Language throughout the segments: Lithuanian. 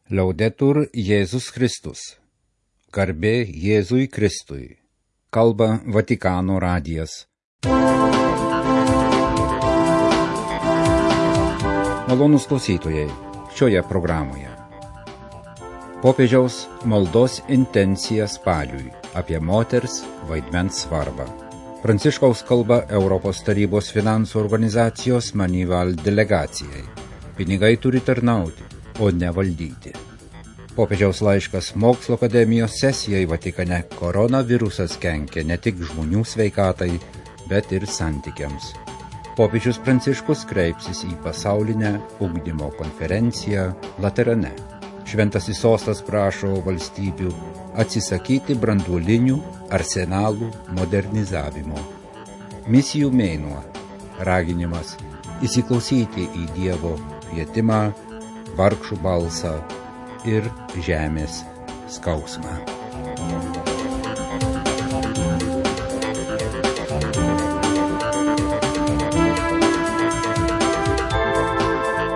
Laudetur Jėzus Kristus. Garbė Jėzui Kristui. Kalba Vatikano radijas. Malonūs klausytojai, šioje programoje. Popiežiaus maldos intencija spaliui apie moters vaidmens svarbą. Pranciškaus kalba Europos tarybos finansų organizacijos Manival delegacijai. Pinigai turi tarnauti, o ne valdyti. Popiežiaus laiškas Mokslo akademijos sesijai Vatikane. Koronavirusas kenkia ne tik žmonių sveikatai, bet ir santykiams. Popiežius Pranciškus kreipsis į pasaulinę ugdymo konferenciją Laterane. Šventasis sostas prašo valstybių atsisakyti branduolinių arsenalų modernizavimo. Misijų mėnuo, raginimas įsiklausyti į Dievo kvietimą, vargšų balsą ir žemės skausmą.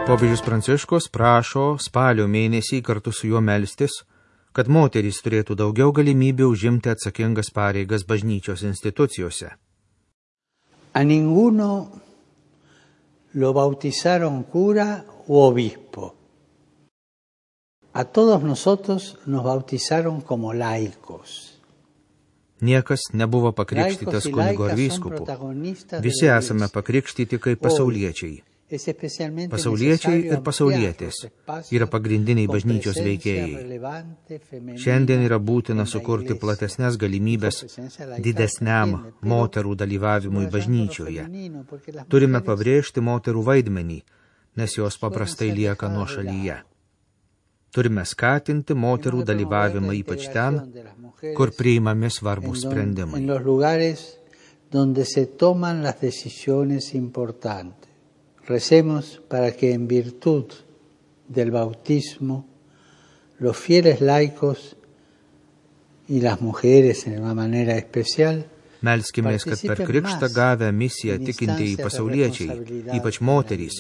Popiežius Pranciškus prašo spalio mėnesį kartu su juo melstis, kad moterys turėtų daugiau galimybių užimti atsakingas pareigas bažnyčios institucijose. A ninguno lo bautizaron cura u obispo. A todos nosotros nos bautizaron como laicos. Niekas nebuvo pakrikštytas kunigo ar vyskupu. Visi esame pakrikštyti kaip pasauliečiai. Pasauliečiai ir pasaulietės yra pagrindiniai bažnyčios veikėjai. Šiandien yra būtina sukurti platesnės galimybės didesniam moterų dalyvavimui bažnyčioje. Turime pabrėžti moterų vaidmenį, nes jos paprastai lieka nuošalyje. Turime skatinti moterų dalyvavimą ypač ten, kur priimami svarbūs sprendimai. Recemos para que en virtud del bautismo los fieles laicos y las mujeres en una manera especial melskimės, kad per krikštą gavę misiją tikintieji pasauliečiai, ypač moterys,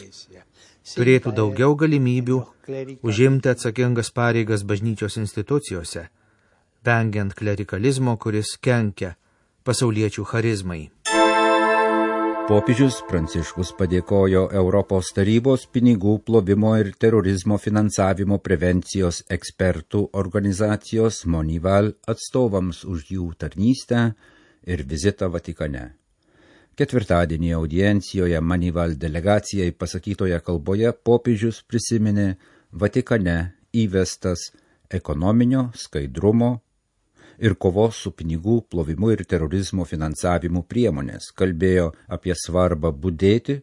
turėtų daugiau galimybių užimti atsakingas pareigas bažnyčios institucijose, vengiant klerikalizmo, kuris kenkia pasauliečių charizmai. Popiežius Pranciškus padėkojo Europos tarybos pinigų plovimo ir terorizmo finansavimo prevencijos ekspertų organizacijos Manival atstovams už jų tarnystę ir vizitą Vatikane. Ketvirtadienį audiencijoje Manival delegacijai pasakytoje kalboje popiežius prisiminė Vatikane įvestas ekonominio skaidrumo ir kovos su pinigų plovimu ir terorizmo finansavimu priemonės, kalbėjo apie svarbą budėti,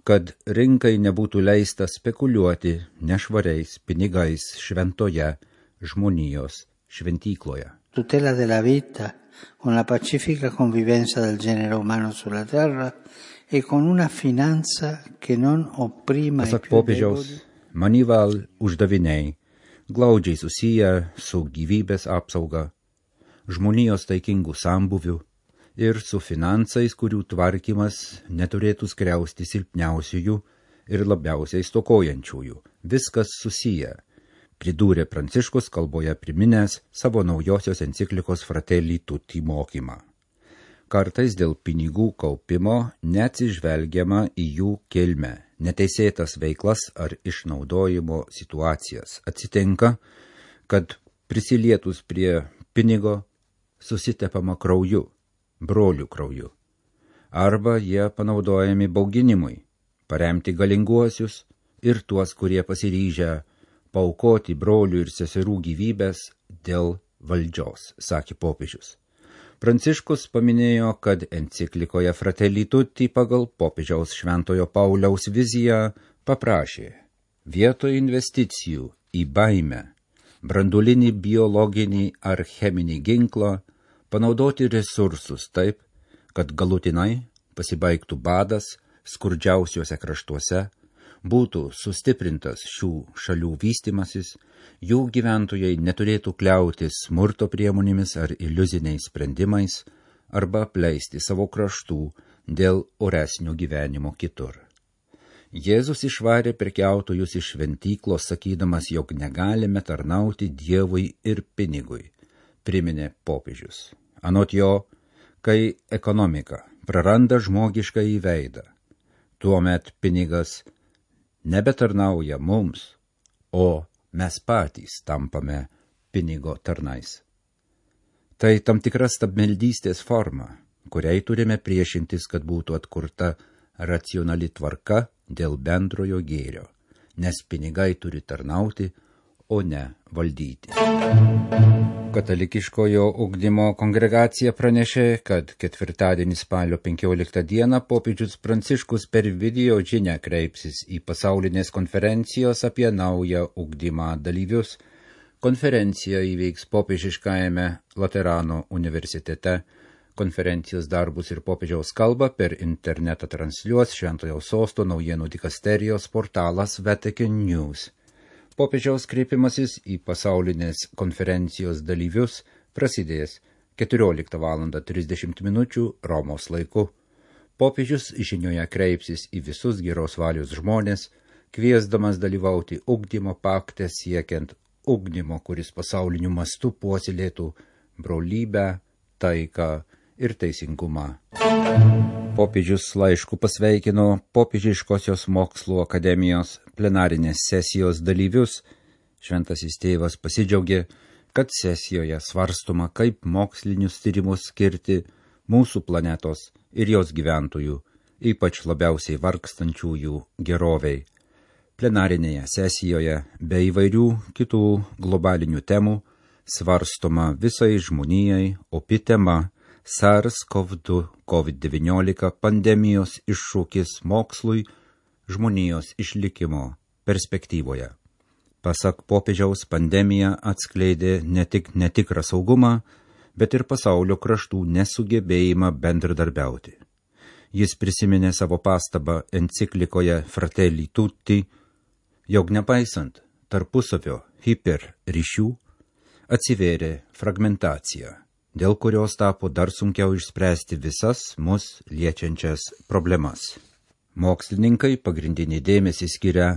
kad rinkai nebūtų leista spekuliuoti nešvariais pinigais šventoje žmonijos šventykloje. Tutela della vita con la pacifica convivenza del genere umano sulla terra e con una finanza che non opprima i più deboli. Manival uždaviniai glaudžiai susiję su gyvybės apsauga, žmonijos taikingų sambuvių ir su finansais, kurių tvarkymas neturėtų skriausti silpniausiųjų ir labiausiai stokojančiųjų. Viskas susiję, pridūrė Pranciškus kalboje priminęs savo naujosios enciklikos Fratelli Tutti mokymą. Kartais dėl pinigų kaupimo neatsižvelgiama į jų kilmę, neteisėtas veiklas ar išnaudojimo situacijas. Atsitinka, kad prisilietus prie pinigo susitepama krauju, brolių krauju. Arba jie panaudojami bauginimui, paremti galinguosius ir tuos, kurie pasiryžę paaukoti brolių ir seserų gyvybės dėl valdžios, sakė popiežius. Pranciškus paminėjo, kad enciklikoje Fratelli Tutti pagal popiežiaus Šventojo Pauliaus viziją paprašė vietoj investicijų į baimę, branduolinį, biologinį ar cheminį ginklą panaudoti resursus taip, kad galutinai pasibaigtų badas skurdžiausiuose kraštuose, būtų sustiprintas šių šalių vystimasis, jų gyventojai neturėtų kliautis smurto priemonėmis ar iliuziniais sprendimais arba apleisti savo kraštų dėl oresnio gyvenimo kitur. Jėzus išvarė prekiautojus iš šventyklos, sakydamas, jog negalime tarnauti Dievui ir pinigui, priminė popiežius. Anot jo, kai ekonomika praranda žmogišką įveidą, tuomet pinigas nebetarnauja mums, o mes patys tampame pinigo tarnais. Tai tam tikra stabmeldystės forma, kuriai turime priešintis, kad būtų atkurta racionali tvarka dėl bendrojo gėrio, nes pinigai turi tarnauti, o ne valdyti. Katalikiškojo ugdymo kongregacija pranešė, kad ketvirtadienį spalio 15 dieną popiežius Pranciškus per video žinią kreipsis į pasaulinės konferencijos apie naują ugdymą dalyvius. Konferencija įveiks popiežiškajame Laterano universitete. Konferencijos darbus ir popiežiaus kalbą per internetą transliuos Šventojo Sosto naujienų dikasterijos portalas Vatican News. Popiežiaus kreipimasis į pasaulinės konferencijos dalyvius prasidės 14:30 Romos laiku. Popiežius žinioje kreipsis į visus geros valios žmonės, kviesdamas dalyvauti ugdymo pakte siekiant ugdymo, kuris pasauliniu mastu puoselėtų brolybę, taiką ir teisingumą. Popiežius laišku pasveikino Popiežiškosios mokslų akademijos plenarinės sesijos dalyvius. Šventasis tėvas pasidžiaugė, kad sesijoje svarstoma, kaip mokslinius tyrimus skirti mūsų planetos ir jos gyventojų, ypač labiausiai vargstančiųjų geroviai. Plenarinėje sesijoje be įvairių kitų globalinių temų svarstoma visai žmonijai opi tema SARS-CoV-2 COVID-19 pandemijos iššūkis mokslui žmonijos išlikimo perspektyvoje. Pasak popiežiaus, pandemija atskleidė ne tik netikrą saugumą, bet ir pasaulio kraštų nesugebėjimą bendradarbiauti. Jis prisiminė savo pastabą enciklikoje Fratelli Tutti, jog nepaisant tarpusavio hiperryšių atsivėrė fragmentacija, dėl kurios tapo dar sunkiau išspręsti visas mus liečiančias problemas. Mokslininkai pagrindinį dėmesį skiria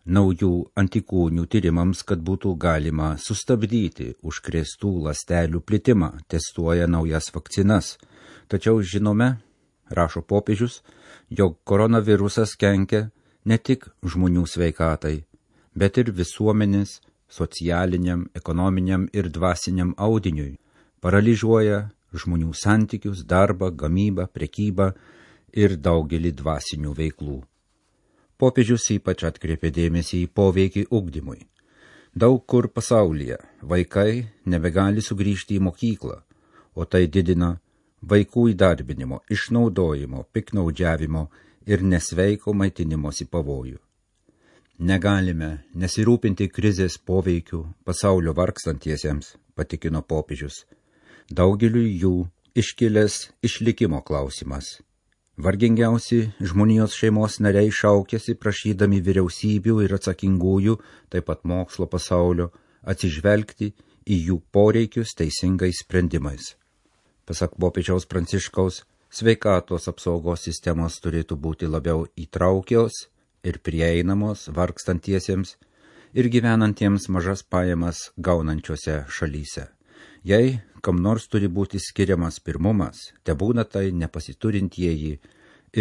naujų antikūnių tyrimams, kad būtų galima sustabdyti užkrėstų ląstelių plitimą, testuoja naujas vakcinas. Tačiau žinome, rašo popiežius, jog koronavirusas kenkia ne tik žmonių sveikatai, bet ir visuomenės, socialiniam, ekonominiam ir dvasiniam audiniui, paralyžiuoja žmonių santykius, darbą, gamybą, prekybą ir daugelį dvasinių veiklų. Popiežius ypač atkreipė dėmesį į poveikį ugdymui. Daug kur pasaulyje vaikai nebegali sugrįžti į mokyklą, o tai didina vaikų įdarbinimo, išnaudojimo, piknaudžiavimo ir nesveiko maitinimosi pavojų. Negalime nesirūpinti krizės poveikių pasaulio vargstantiesiems, patikino popiežius. Daugeliu jų iškilęs išlikimo klausimas. Vargingiausi žmonijos šeimos nariai šaukėsi prašydami vyriausybių ir atsakingųjų, taip pat mokslo pasaulio, atsižvelgti į jų poreikius teisingais sprendimais. Pasak popiežiaus Pranciškaus, sveikatos apsaugos sistemos turėtų būti labiau įtraukios ir prieinamos vargstantiesiems ir gyvenantiems mažas pajamas gaunančiose šalyse. Jei kam nors turi būti skiriamas pirmumas, tebūna tai nepasiturintieji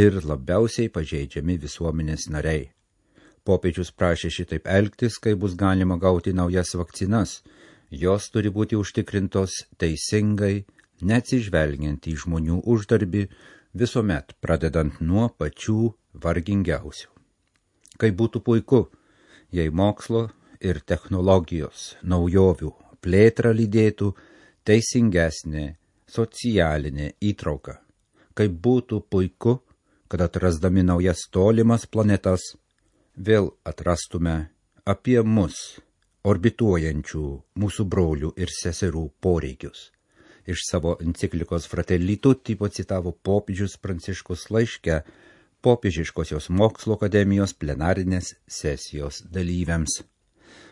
ir labiausiai pažeidžiami visuomenės nariai. Popiežius prašė šitaip elgtis, kai bus galima gauti naujas vakcinas. Jos turi būti užtikrintos teisingai, neatsižvelgiant į žmonių uždarbį, visuomet pradedant nuo pačių vargingiausių. Kaip būtų puiku, jei mokslo ir technologijos naujovių plėtrą lydėtų teisingesnė socialinė įtrauka. Kaip būtų puiku, kad atrasdami naujas tolimas planetas, vėl atrastume apie mus orbituojančių mūsų brolių ir seserų poreikius. Iš savo enciklikos Fratelli Tutti pacitavo popiežius Pranciškus laiške Popiežiškosios mokslo akademijos plenarinės sesijos dalyviams.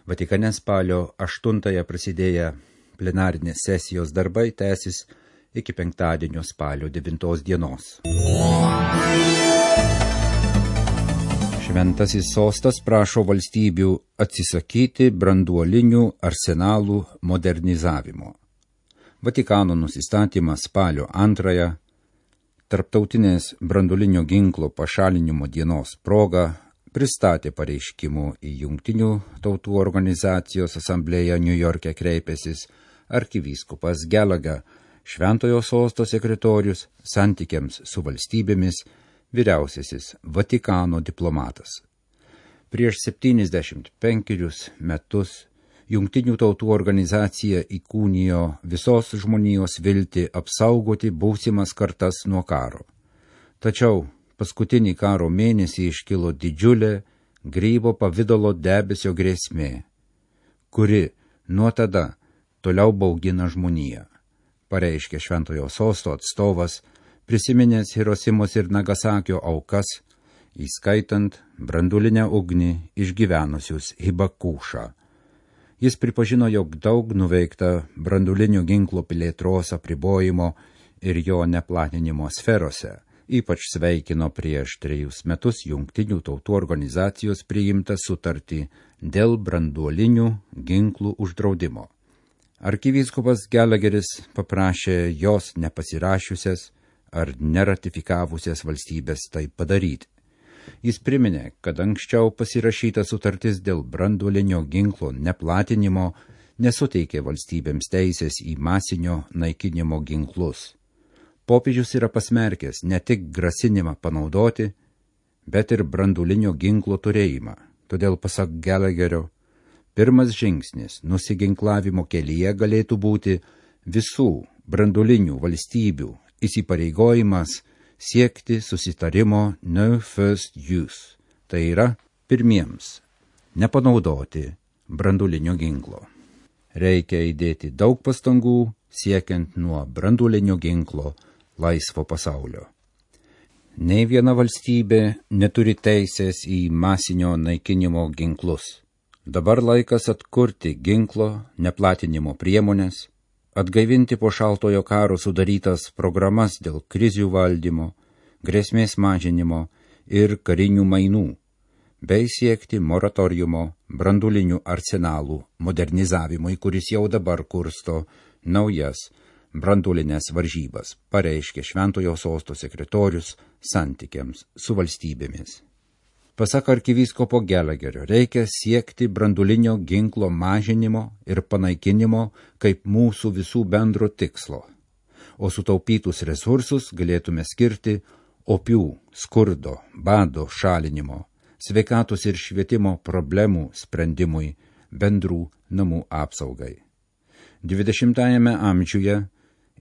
Vatikane spalio 8 prasidėję plenarinės sesijos darbai tęsis iki penktadienio spalio 9 dienos. Šventasis sostas prašo valstybių atsisakyti branduolinių arsenalų modernizavimo. Vatikano nusistatymas spalio 2, Tarptautinės branduolinio ginklo pašalinimo dienos proga, pristatė pareiškimų į Jungtinių tautų organizacijos asamblėją Niujorke kreipęsis arkivyskupas Gallagher, Šventojo sosto sekretorius, santykiams su valstybėmis, vyriausiasis Vatikano diplomatas. Prieš 75 metus Jungtinių tautų organizacija įkūnijo visos žmonijos viltį apsaugoti būsimas kartas nuo karo. Tačiau paskutinį karo mėnesį iškilo didžiulė grybo pavidalo debesio grėsmė, kuri nuo tada toliau baugina žmoniją, pareiškė Šventojo sosto atstovas, prisiminęs Hirosimos ir Nagasakio aukas, įskaitant branduolinę ugnį išgyvenusius Hibakušą. Jis pripažino, jog daug nuveikta branduolinio ginklo plėtros apribojimo ir jo neplatinimo sferose, ypač sveikino prieš 3 metus Jungtinių tautų organizacijos priimtą sutartį dėl branduolinių ginklų uždraudimo. Arkivyskupas Gallagheris paprašė jos nepasirašiusias ar neratifikavusias valstybės tai padaryti. Jis priminė, kad anksčiau pasirašyta sutartis dėl branduolinio ginklo neplatinimo nesuteikė valstybėms teisės į masinio naikinimo ginklus. Popiežius yra pasmerkęs ne tik grasinimą panaudoti, bet ir branduolinio ginklo turėjimą. Todėl, pasak Gallagherio, pirmas žingsnis nusiginklavimo kelyje galėtų būti visų branduolinių valstybių įsipareigojimas siekti susitarimo no first use, tai yra pirmiems nepanaudoti branduolinio ginklo. Reikia įdėti daug pastangų siekiant nuo branduolinio ginklo laisvo pasaulio. Nei viena valstybė neturi teisės į masinio naikinimo ginklus. Dabar laikas atkurti ginklo neplatinimo priemonės, atgaivinti po šaltojo karo sudarytas programas dėl krizių valdymo, grėsmės mažinimo ir karinių mainų, bei siekti moratoriumo branduolinių arsenalų modernizavimui, kuris jau dabar kursto naujas branduolinės varžybas, pareiškė Šventojo sosto sekretorius santykiams su valstybėmis. Pasak arkivyskupo Gallagherio, reikia siekti branduolinio ginklo mažinimo ir panaikinimo kaip mūsų visų bendro tikslo, o sutaupytus resursus galėtume skirti opių, skurdo, bado šalinimo, sveikatos ir švietimo problemų sprendimui, bendrų namų apsaugai. 20-ajame amžiuje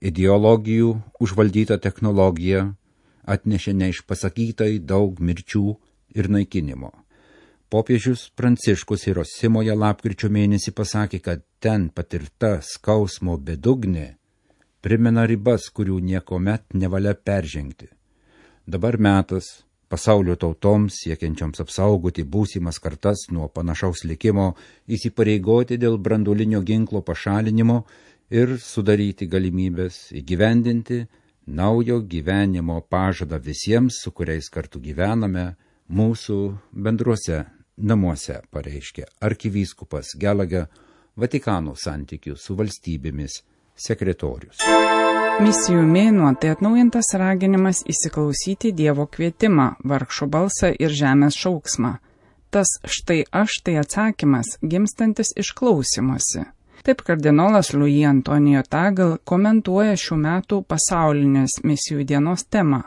ideologijų užvaldyta technologija atnešė neišpasakytai daug mirčių ir naikinimo. Popiežius Pranciškus Hirosimoje lapkričio mėnesį pasakė, kad ten patirta skausmo bedugnė primena ribas, kurių niekomet nevalia peržengti. Dabar metas pasaulio tautoms, siekiančioms apsaugoti būsimas kartas nuo panašaus likimo, įsipareigoti dėl branduolinio ginklo pašalinimo ir sudaryti galimybės įgyvendinti naujo gyvenimo pažadą visiems, su kuriais kartu gyvename, mūsų bendruose namuose, pareiškė arkivyskupas Gallagher, Vatikano santykių su valstybėmis sekretorius. Misijų mėnuo tai atnaujintas raginimas įsiklausyti Dievo kvietimą, vargšo balsą ir žemės šauksmą. Tas štai aš tai atsakymas, gimstantis iš klausymosi. Taip kardinolas Louis Antonijo Tagle komentuoja šių metų pasaulinės misijų dienos temą,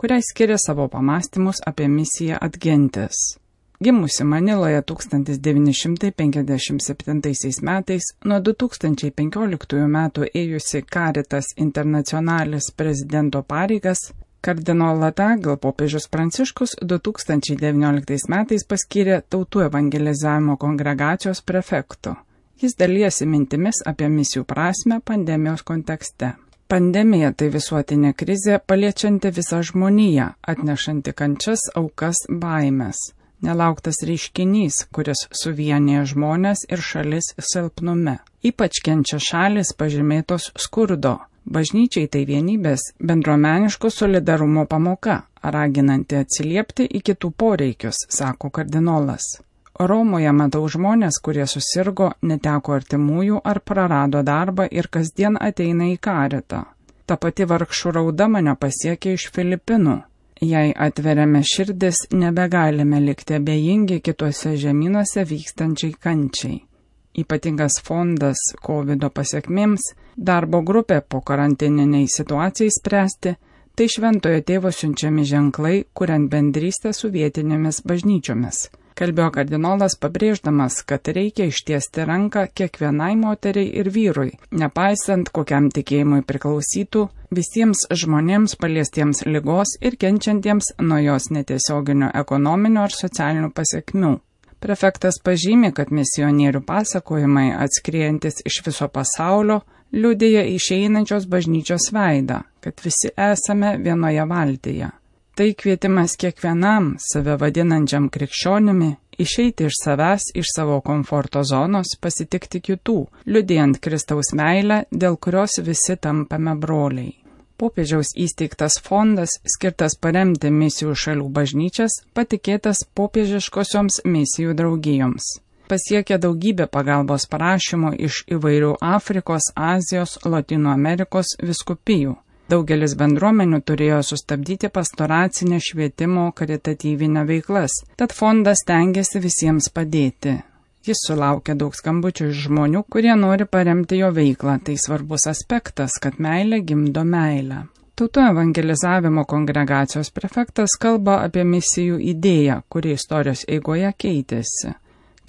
kuriai skiria savo pamastymus apie misiją Adgentis. Gimusi Maniloje 1957 metais, nuo 2015 metų ėjusi Caritas Internationalis prezidento pareigas, kardinolą Tagle popiežius Pranciškus 2019 metais paskyrė Tautų evangelizavimo kongregacijos prefektu. Jis dalijasi mintimis apie misijų prasmę pandemijos kontekste. Pandemija tai visuotinė krizė, paliečianti visą žmoniją, atnešanti kančias, aukas, baimės. Nelauktas reiškinys, kuris suvienyje žmonės ir šalis silpnume. Ypač kenčia šalis pažymėtos skurdo. Bažnyčiai tai vienybės, bendruomeniško solidarumo pamoka, raginanti atsiliepti į kitų poreikius, sako kardinolas. Romoje matau žmonės, kurie susirgo, neteko artimųjų ar prarado darbą ir kasdien ateina į karitą. Ta pati vargšų rauda mane pasiekė iš Filipinų. Jei atveriame širdis, nebegalime likti abejingi kituose žemynuose vykstančiai kančiai. Ypatingas fondas COVID pasiekmėms, darbo grupė po karantininiai situacijai spręsti, tai Šventojo Tėvo siunčiami ženklai, kuriant bendrystę su vietinėmis bažnyčiomis. Kalbėjo kardinolas, pabrėždamas, kad reikia ištiesti ranką kiekvienai moteriai ir vyrui, nepaisant kokiam tikėjimui priklausytų, visiems žmonėms paliestiems ligos ir kenčiantiems nuo jos netiesioginio ekonominio ar socialinių pasiekmių. Prefektas pažymi, kad misionierių pasakojimai, atskriejantis iš viso pasaulio, liudija išeinančios bažnyčios veidą, kad visi esame vienoje valtyje. Tai kvietimas kiekvienam, save vadinančiam krikščionimi, išeiti iš savęs, iš savo komforto zonos, pasitikti kitų, liudijant Kristaus meilę, dėl kurios visi tampame broliai. Popiežiaus įsteigtas fondas, skirtas paremti misijų šalių bažnyčias, patikėtas popiežiškosioms misijų draugijoms. Pasiekė daugybę pagalbos prašymų iš įvairių Afrikos, Azijos, Lotynų Amerikos vyskupijų. Daugelis bendruomenių turėjo sustabdyti pastoracinę švietimo karitatyvinę veiklas, tad fondas stengiasi visiems padėti. Jis sulaukia daug skambučių iš žmonių, kurie nori paremti jo veiklą. Tai svarbus aspektas, kad meilė gimdo meilę. Tautų evangelizavimo kongregacijos prefektas kalba apie misijų idėją, kuri istorijos eigoje keitėsi.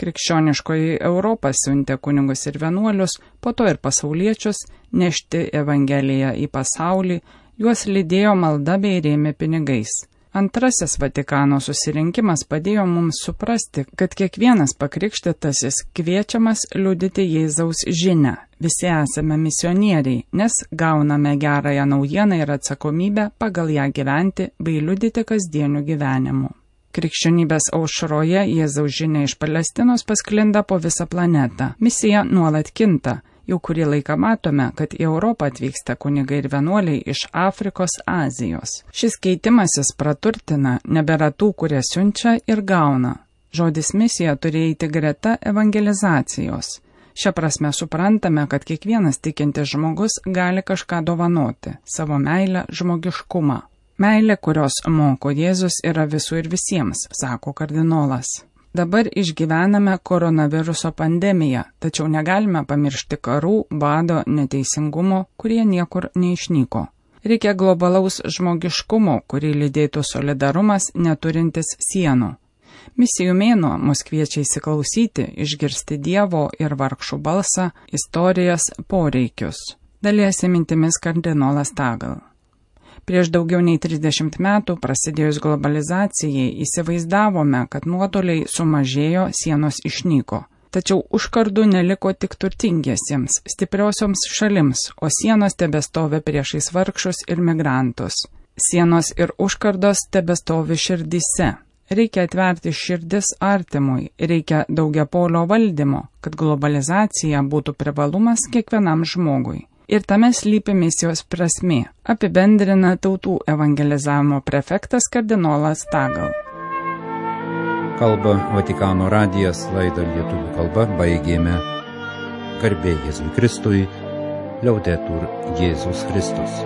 Krikščioniškoji Europa siuntė kunigus ir vienuolius, po to ir pasauliečius, nešti evangeliją į pasaulį, juos lydėjo malda bei rėmė pinigais. Antrasis Vatikano susirinkimas padėjo mums suprasti, kad kiekvienas pakrikštytasis kviečiamas liudyti Jėzaus žinią. Visi esame misionieriai, nes gauname gerąją naujieną ir atsakomybę pagal ją gyventi bei liudyti kasdieniu gyvenimu. Krikščionybės aušroje Jėzaus žinia iš Palestinos pasklinda po visą planetą. Misija nuolat kinta. Jau kurį laiką matome, kad į Europą atvyksta kunigai ir vienuoliai iš Afrikos, Azijos. Šis keitimasis praturtina, nebėra tų, kurie siunčia ir gauna. Žodis misija turi eiti greta evangelizacijos. Šia prasme suprantame, kad kiekvienas tikintis žmogus gali kažką dovanoti, savo meilę, žmogiškumą. Meilė, kurios moko Jėzus, yra visų ir visiems, sako kardinolas. Dabar išgyvename koronaviruso pandemiją, tačiau negalime pamiršti karų, bado, neteisingumo, kurie niekur neišnyko. Reikia globalaus žmogiškumo, kurį lydėtų solidarumas neturintis sienų. Misijų mėnuo mus kviečia įsiklausyti, išgirsti Dievo ir vargšų balsą, istorijas, poreikius. Dalijasi mintimis kardinolas Tagal. Prieš daugiau nei 30 metų prasidėjus globalizacijai įsivaizdavome, kad nuotoliai sumažėjo, sienos išnyko. Tačiau užkardų neliko tik turtingiesiems, stipriosioms šalims, o sienos tebestovi priešais vargšus ir migrantus. Sienos ir užkardos tebestovi širdyse. Reikia atverti širdis artimui, reikia daugiapolio valdymo, kad globalizacija būtų privalumas kiekvienam žmogui. Ir tame slypi misijos prasmė, apibendrina tautų evangelizavimo prefektas kardinolas Tagal. Kalba Vatikano radijas, laidą lietuvių kalba baigėme. Garbė Jėzui Kristui, Liaudetur Jėzus Kristus.